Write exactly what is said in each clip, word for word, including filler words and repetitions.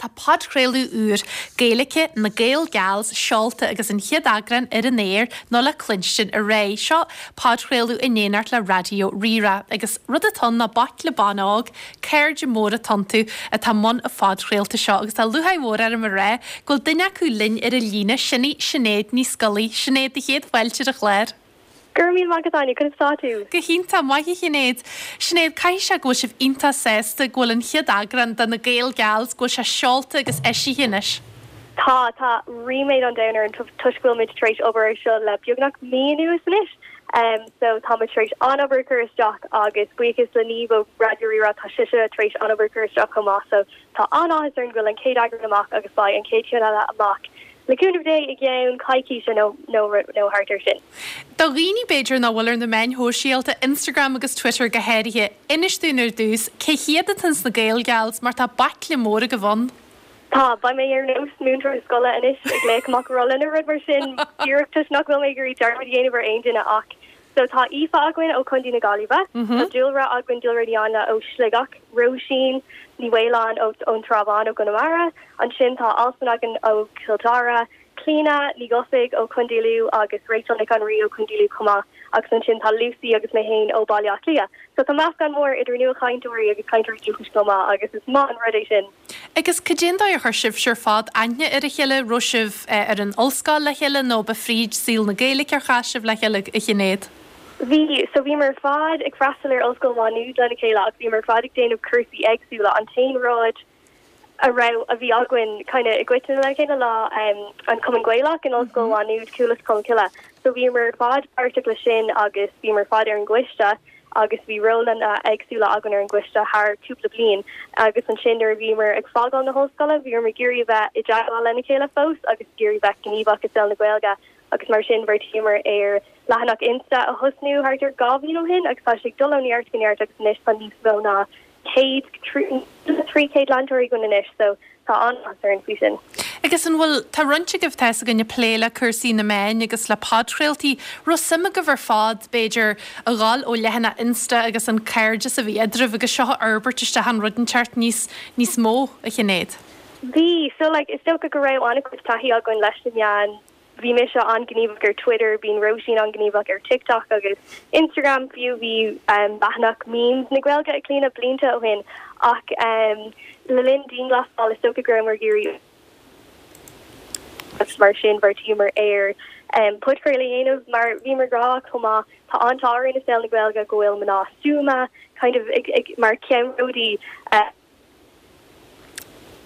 tá podchraoladh úr Gaeilge na Gael Gals seolta agus an chéad eagrán ar an aer nó le cluinstin aréir. Seo podchraoladh in éineacht le Raidió Rí-Rá agus rud atá ann ná baicle ban óg, cairde móra atá iontu atá i mbun an phodchraolta seo agus tá lúcháir mhór orm a rá go bhfuil duine acu linn ar an líne, sin í Sinéad Ní Scolaí. Sinéad, a chéad fáilte ar an chlár. Go raibh míle maith agat Áine, conas tá tú? Go hiontach maith a Shinéad. Sinéad, caithfidh sé go bhfuil sibh iontach sásta go bhfuil an chéad eagrán de na Gael Gals go bhfuil sé seolta agus eisithe anois. Tá tá ríméad an domhain orainn toisc go bhfuil muid tar éis obair ar seo le beagnach mí anuas anois. Um, so tá muid tar éis an-obair a chur isteach agus buíochas le Niamh ó Raidió Rí-Rá tá sise tar éis an-obair a chur isteach chomh maith, so tá an-áthas orainn go bhfuil an chéad eagrán amach agus beidh an chéad cheann eile amach le cúnamh Dé i gceann coicíse nó nó nó thart ar sin. Do dhaoine b'fhéidir nach bhfuil ar na meáin shóisialta Instagram agus Twitter go háirithe, inis dúinn ar dtús, cé hiad atá sna Gael Gals mar tá baicle mór agaibh ann. Tá beidh mé ar nós múinteoir scoile anois ag léamh amach rolla nó rud mar sin díreach toisc nach bhfuil mé ag iarraidh dearmad a dhéanamh ar aon duine ach so tá Aoife againn ó Chontae na Gaillimhe, Tá Dúlra againn Dúlra Ní Áinle ó Sligeach, Róisín Ní Mhaoláin ó ón Trá Bháin ó Chonamara, ansin tá Alswyn againn ó Chill Dara, Clíona Ní Dhufaigh ó Chontae Lú agus Rachel Nic an Rí ó Chontae Lú chomh maith agus ansin tá Lucy agus mé féin ó Baile Átha Cliath. So tá meascán mór idir nuachainteoirí agus cainteoirí dúchais chomh maith agus is maith an rud é sin. Agus cad é an dóigh ar chuir sibh ar fad aithne ar a chéile raibh sibh ar an ollscoil le chéile nó ba fríd saol na Gaeilge ar chas sibh le chéile a Shinéad? Bhí so bhíomar ar fad ag freastal ar Ollscoil Mhá Nuad lena chéile agus bhíomar ar fad ag déanamh cúrsaí éagsúla an t-aon rud a raibh a bhí againn kind of i gcoitinne le chéile ná um, an Cumann Gaelach in Ollscoil Mhá Nuad Cuas Cholmcille. So bhíomar ar fad páirteach le sin agus bhíomar ar fad ar an gcoiste agus bhí rólanna éagsúla againn ar an gcoiste thar cúpla bliain agus ansin nuair a bhíomar ag fágáil na hollscoile bhíomar ag iarraidh bheith i dteagmháil lena chéile fós agus ag iarraidh bheith gníomhach i saol na Gaeilge agus mar sin bheartaíomar ar leathanach Insta a thosnú thart ar dhá bhliain ó shin agus tá sé ag dul ó neart go neart agus anois tá níos mó ná céad trí chéad leantóirí againn anois so tá an-áthas orainn faoi sin. Agus an bhfuil tá roinnt agaibh tá a fhios againn ag plé le cúrsaí na meán agus le podchraoltaí raibh suim agaibh ar fad b'fhéidir a ghabháil ó leathanach Insta agus an cairdeas a bhí eadraibh agus seo a fhorbairt isteach an rud inteacht níos níos mó a Shinéad. Bhí so like is dócha go raibh an-chuid taithí againn leis na meáin bhí mise an-ghníomhach ar Twitter, bíonn Róisín an-ghníomhach ar TikTok agus Instagram fiú bhí um, leathanach memes na Gaeilge ag Clíona blianta ó shin ach um, le linn dianghlasáil is dócha go rabhamar ag iarraidh agus mar sin bheartaíomar ar um, podchraoladh a dhéanamh mar bhíomar ag rá chomh maith tá an-ádh orainn i saol na Gaeilge go bhfuil mná stuama kind of ag, ag, mar ceannródaí uh,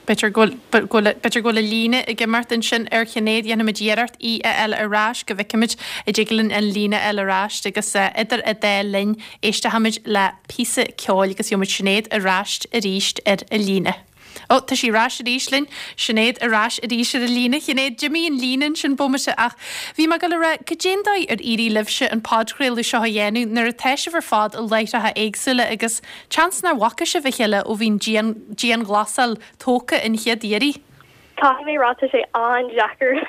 B'fhéidir go b'fhéidir go bhfuil líne ag imeacht ansin ar Shinéad dhéanfaimid iarracht í a fháil ar ais go bhfeicfimid an dtig linn an líne a fháil ar ais agus idir an dá linn éistfimid le píosa ceoil agus gheobhaimid Sinéad ar ais arís ar an líne. Ó tá sí ar ais arís linn, Sinéad ar ais arís ar an líne Sinéad d'imigh an líne sin bomaite ach bhí mé le rá cad é an dóigh ar éirigh libhse an podchraoladh seo a dhéanamh nuair atá sibh ar fad i láithreacha éagsúla agus seans nár bhfaca sibh a chéile ó bhí an dianghlasáil tógtha an chéad iarraidh. Tá mé rá sé an-deacair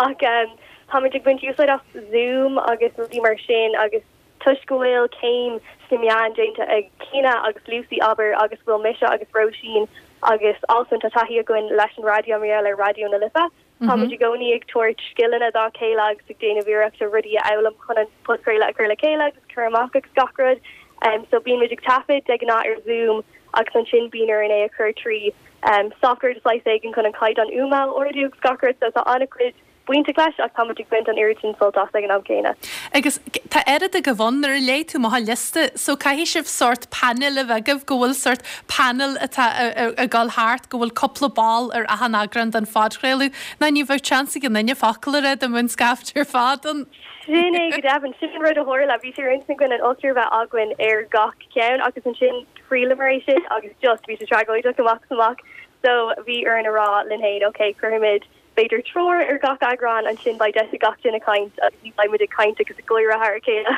ach um, táimid ag baint úsáid as Zoom agus rudaí mar sin agus toisc go bhfuil céim sna meáin déanta ag Clíona agus Lucy aber agus bhfuil mise agus Róisín agus Alswyn tá taithí againn leis an raidió mar ar Raidió na Life. Táimid i gcónaí ag tabhairt scileanna dá chéile agus ag déanamh iarracht rudaí a fhoghlaim chun an podchraoladh a chur le chéile agus cur amach agus gach rud. Um, so bímid ag taifead de ghnáth ar Zoom agus ansin bíonn orainn é a chur trí um, software de shaghas éigin chun an caighdeán fuaime a ardú agus gach rud so tá an-chuid bainteach leis ach táimid ag baint an oiread sin sult as ag an am céanna. Agus tá oiread agaibh ann nuair a léigh tú amach an liosta, so caithfidh sibh sórt panel a bheith agaibh go bhfuil sórt panel atá ag dul thart go bhfuil cúpla ball ar achan eagrán den phodchraoladh, ná ní bheadh seans ag aon duine focal a rá dá mbeadh an scaifte ar fad ann. Sin é go deimhin sin an rud a tharla bhí sé ar intinn againn an ochtar bheith againn ar gach ceann agus ansin thriaileamar é sin agus just bhí sé tragóideach amach is amach so bhí orainn a rá linn féin ok cuirfimid b'fhéidir triúr ar gach eagrán ansin beidh deis ag gach duine caint agus ní bheimid ag caint agus ag gáire thar a chéile.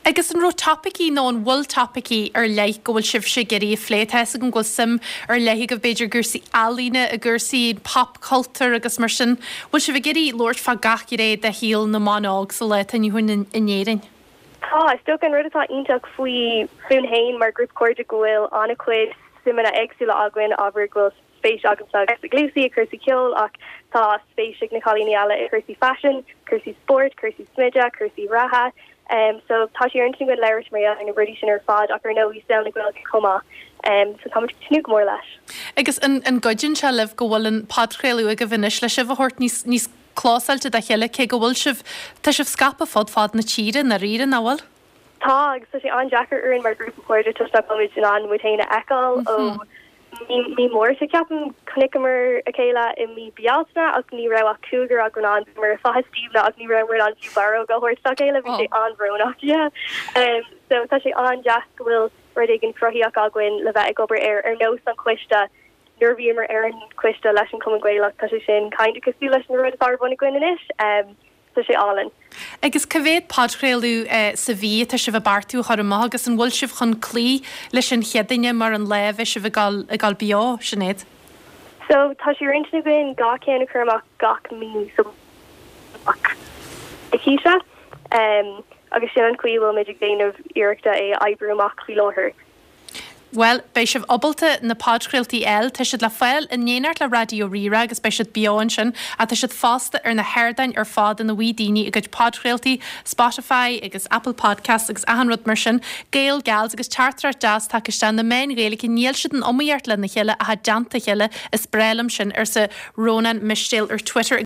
Agus an raibh topaicí nó an bhfuil topaicí ar leith go bhfuil sibhse ag iarraidh a phlé tá a fhios agam go bhfuil suim ar leith agaibh b'fhéidir cúrsaí ealaíne i gcúrsaí pop culture agus mar sin, bhfuil sibh ag iarraidh labhairt fá gach gné de shaol na mban óg sa lá atá inniu in in Éirinn. Tá is dócha an rud atá iontach faoi fúinn féin mar grúpa cairde go bhfuil an-chuid suimeanna éagsúla againn ábhar go bhfuil spéis agamsa agus ag Lucy i cúrsaí ceoil ach tá spéis ag na cailíní eile i cúrsaí fashion, cúrsaí spóirt, cúrsaí smididh, cúrsaí reatha. Um, so tá sé ar intinn againn labhairt mar gheall ar na rudaí sin ar fad ach ar ndóigh saol na Gaeilge chomh maith. Um, so táimid ag tnúth go mór leis. Agus an, an gcuidíonn sé libh go bhfuil an podchraoladh agaibh anois le sibh a thabhairt níos, níos clósáilte dá chéile cé go bhfuil sibh, tá sibh scaipthe fud fad na tíre i ndáiríre, nach bhfuil? Tá agus tá sé an-deacair orainn mar grúpa cairde toisc nach bhfuilimid in ann muid féin a fheiceáil ó mí Márta ceapaim chonaiceamar a chéile i mí Bealtaine ach ní raibh ach cúigear againn ann mar i Faiche Stiabhna ach ní raibh an fiú barróg a thabhairt dá chéile bhí sé an-bhrónach yeah. Um, so tá sé an-deas go bhfuil rud éigin cruthaithe againn le bheith ag obair ar ar nós an coiste nuair bhíomar ar an coiste leis an Cumann Gaelach tá sé sin kind of cosúil leis an rud atá ar bun againn anois um, tá sé álainn. Agus cá mhéad podchraoladh eh, sa mhí atá sibh ag beartú a chur amach agus an bhfuil sibh chun cloí leis an chéadaoine mar an lá a bheidh sibh ag dul ag dul beo, Sinéad? So tá sé ar intinn againn gach ceann a chur amach gach mí so coicíse um, agus sin an chaoi bhfuil muid ag déanamh iarrachta é oibriú amach faoi láthair. Well, beidh sibh ábalta na podchraoltaí eile, tá siad le fáil in éineacht le Raidió Rí-Rá agus beidh siad beo ansin ach tá siad fosta ar na hardáin ar fad ina bhfaigheann daoine a gcuid podchraoltaí, Spotify agus Apple Podcasts agus achan rud mar sin, Gael Gals agus teachtaireacht deas tagtha isteach na meáin Ghaeilge níl siad in iomaíocht lena chéile ach i dteannta a chéile is breá liom sin arsa Rónán Mistéil ar Twitter.